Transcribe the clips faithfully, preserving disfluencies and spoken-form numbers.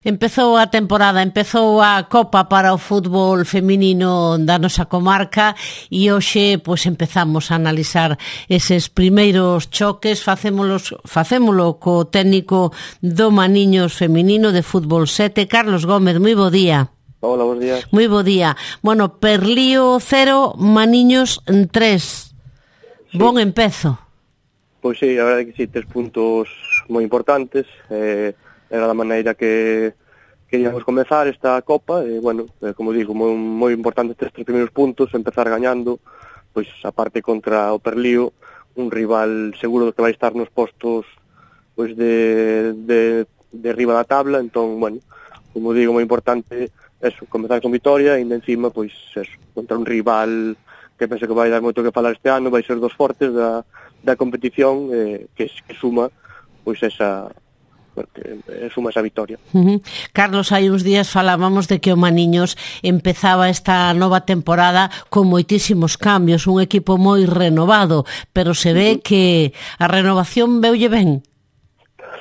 Empezou a temporada, empezou a Copa para o fútbol feminino da nosa comarca e hoxe pois empezamos a analizar eses primeiros choques, facémolos, facémolo co técnico do Maniños feminino de fútbol sete, Carlos Gómez, moi bo día. Hola, bons días. Moi bo día. Bueno, Perlío cero, Maniños tres. Sí. Bon empezo. Pois sí, a verdade que sí, tres puntos moi importantes, eh, era da maneira que queríamos comezar esta Copa, e, bueno, eh, como digo, moi, moi importante estes tres primeiros puntos, empezar gañando, pois, a parte contra o Perlío, un rival seguro que vai estar nos postos pois de, de, de riba da tabla, entón, bueno, como digo, moi importante eso, comezar con vitoria, e encima, pois, eso, contra un rival que penso que vai dar moito que falar este ano, vai ser dos fortes da, da competición, eh, que, que suma, pois, esa... porque suma esa vitoria. Uh-huh. Carlos, hai uns días falábamos de que o Maniños empezaba esta nova temporada con moitísimos cambios, un equipo moi renovado, pero se ve uh-huh. que a renovación veulle ben.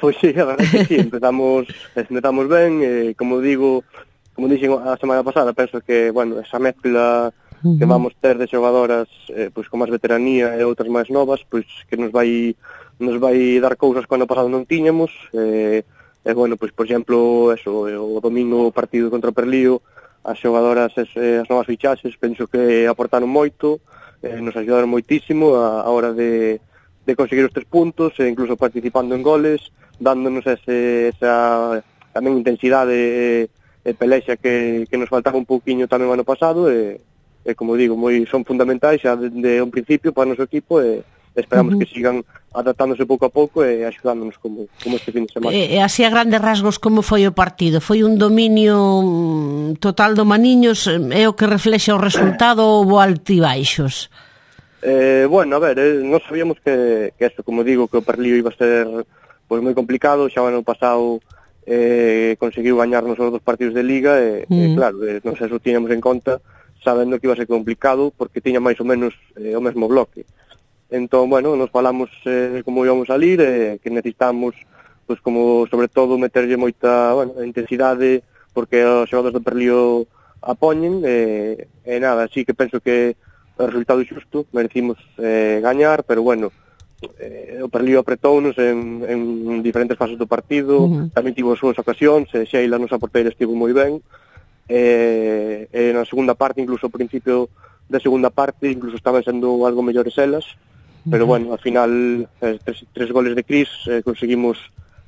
Pois sí, a verdade que sí, empezamos, empezamos ben, eh, como digo, como dixen a semana pasada, penso que, bueno, esa mezcla uh-huh. que vamos ter de xogadoras eh, pois con máis veteranía e outras máis novas, pois que nos vai nos vai dar cousas que ano pasado non tiñamos, e, e bueno, pois por exemplo, eso, o domingo partido contra o Perlío, as xogadoras, as, as novas fichaxes, penso que aportaron moito, eh, nos axudaron moitísimo a, a hora de, de conseguir os tres puntos, e incluso participando en goles, dándonos ese, esa tamén intensidade e, e pelexa que, que nos faltaba un pouquiño tamén o ano pasado, e, e como digo, moi son fundamentais xa de, de un principio para o noso equipo, e esperamos uh-huh. que sigan adaptándose pouco a pouco e axudándonos como, como este fin de semana. E, e así a grandes rasgos, como foi o partido? Foi un dominio total do Maniños? É o que reflexa o resultado ou altibaixos? Eh, bueno, a ver, eh, non sabíamos que, que eso, como digo, que o Perlío iba a ser pues, moi complicado. Xa o ano pasado eh, conseguiu gañarnos os dos partidos de Liga e, uh-huh. e claro, eh, non sei se o tiñamos en conta sabendo que iba a ser complicado porque tiña máis ou menos eh, o mesmo bloque. Entón, bueno, nos falamos eh, como íbamos a salir, eh, que necesitamos, pues, como, sobre todo, meterlle moita, bueno, intensidade, porque os xogadores do Perlío apoñen, e, eh, eh, nada, así que penso que o resultado xusto, merecimos eh, gañar, pero, bueno, eh, o Perlío apretounos en, en diferentes fases do partido, uh-huh. tamén tivo as súas ocasións, e Sheila, nosa porteira, estivo moi ben, e, e na segunda parte, incluso ao principio da segunda parte, incluso estaban sendo algo mellores elas, pero bueno, al final eh, tres, tres goles de Cris eh, conseguimos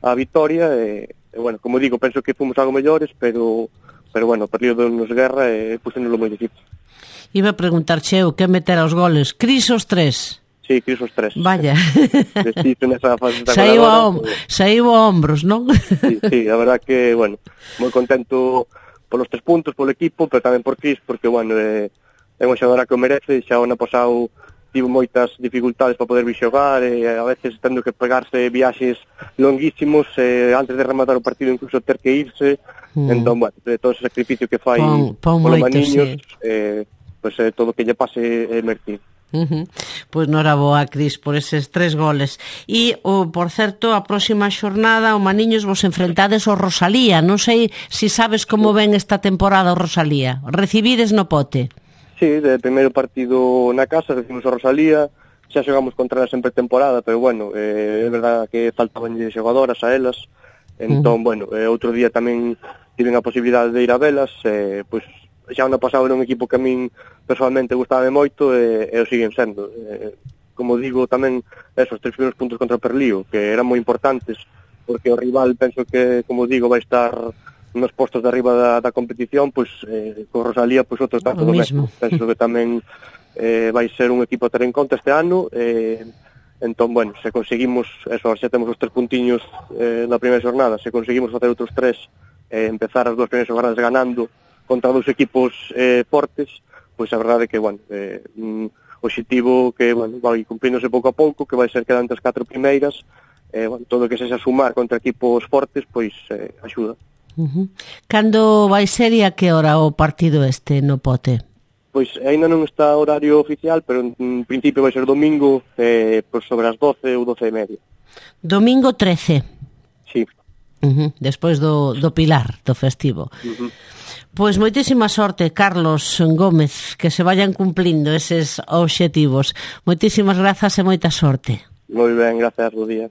a vitoria e, eh, bueno, como digo, penso que fomos algo mellores, pero pero bueno, Perlío nos guerra e eh, puséndolo moi difícil. Iba a preguntar, Cheo, que meter aos goles? Cris os tres? Sí, Cris os tres. Vaya. Saiu a, om saiu a hombros, non? Sí, sí, a verdad que, bueno, moi contento polos tres puntos, polo equipo, pero tamén por Cris, porque, bueno, eh, é unha xogadora que o merece, xa o ano pasado tivo moitas dificultades para poder vir xogar, e a veces tendo que pegarse viaxes longuísimos, e antes de rematar o partido incluso ter que irse, mm. entón, bueno, todo ese sacrificio que fai polo Maniños, sí. eh, pues, eh, todo o que lle pase é merecido. Uh-huh. Pois non era boa, Cris, por eses tres goles. E, oh, por certo, a próxima xornada o Maniños vos enfrentades ao Rosalía. Non sei se si sabes como ven esta temporada o Rosalía. Recibides no pote? Sí, de primeiro partido na casa, recibimos a Rosalía, xa xogamos contra elas en pretemporada, pero bueno, eh, é verdad que faltaban xogadoras a elas, entón, uh-huh. bueno, eh, outro día tamén tiven a posibilidade de ir a velas, eh, pois xa ano pasado era un equipo que a min personalmente gustaba moito e, e o siguen sendo. Eh, como digo, tamén esos tres primeiros puntos contra o Perlío, que eran moi importantes, porque o rival, penso que, como digo, vai estar nos postos de arriba da, da competición, pois eh, con Rosalía, pois outro tanto do mesmo. Penso que tamén eh, vai ser un equipo a ter en conta este ano, eh, entón, bueno, se conseguimos, eso, xa temos os tres puntiños eh, na primeira xornada, se conseguimos facer outros tres, eh, empezar as dúas primeiras xornadas ganando contra dous equipos eh, fortes, pois a verdade é que, bueno, eh, un objetivo que, bueno, vai cumpríndose pouco a pouco, que vai ser quedando as catro primeiras, eh, bueno, todo o que sexa sumar contra equipos fortes, pois eh, axuda. Uh-huh. Cando vai ser e a que hora o partido este no pote? Pois ainda non está horario oficial, pero en principio vai ser domingo eh, por sobre as doce ou doce e media. Domingo trece? Sí. Uh-huh. Despois do, do Pilar, do festivo. Uh-huh. Pois moitísima sorte, Carlos Gómez, que se vayan cumplindo eses obxectivos. Moitísimas grazas e moita sorte. Moi ben, grazas, bo día.